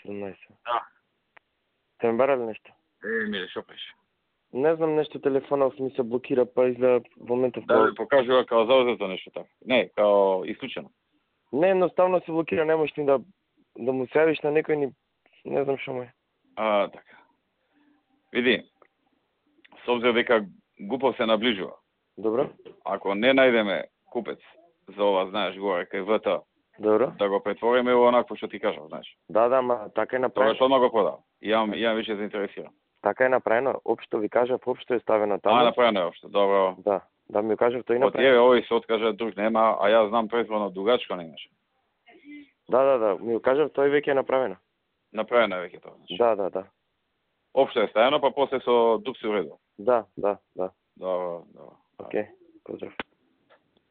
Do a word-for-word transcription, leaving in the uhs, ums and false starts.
седемнаесет. Да. Те ме барали нещо? Е, миле, шо пише? Не знам, нещо телефонът ми се блокира, па изгледа в момента в Да ви покажува као заузето нещо така. Не, као изключено. Не, едноставно се блокира, не можеш ни да, да му се явиш на некој ни... Не знам шо му е. А, така. Види, с обзир дека Гупов се наближува. Добро? Ако не најдеме купец за ова, знаеш, горе кај ВТ, Добро? да го претвориме во онакво што ти кажав, знаеш. Да, да, ма така е Тоа направено. што го продав. Јам, јам више заинтересиран. Така е направено. Општо ви кажав, општо е ставено таму. А, направено е општо, добро. Да, да ми кажав тој Од направено. еве овој се откажа, друг нема, а јас знам предходно дугачко не имаше. Да, да, да, ми кажав тој веќе е направено. Направено е веќе тоа. Значи. Да, да, да. Општо е ставено, па после со дук се уредил. Да, да, да. Добро, добро. Океј, поздрав.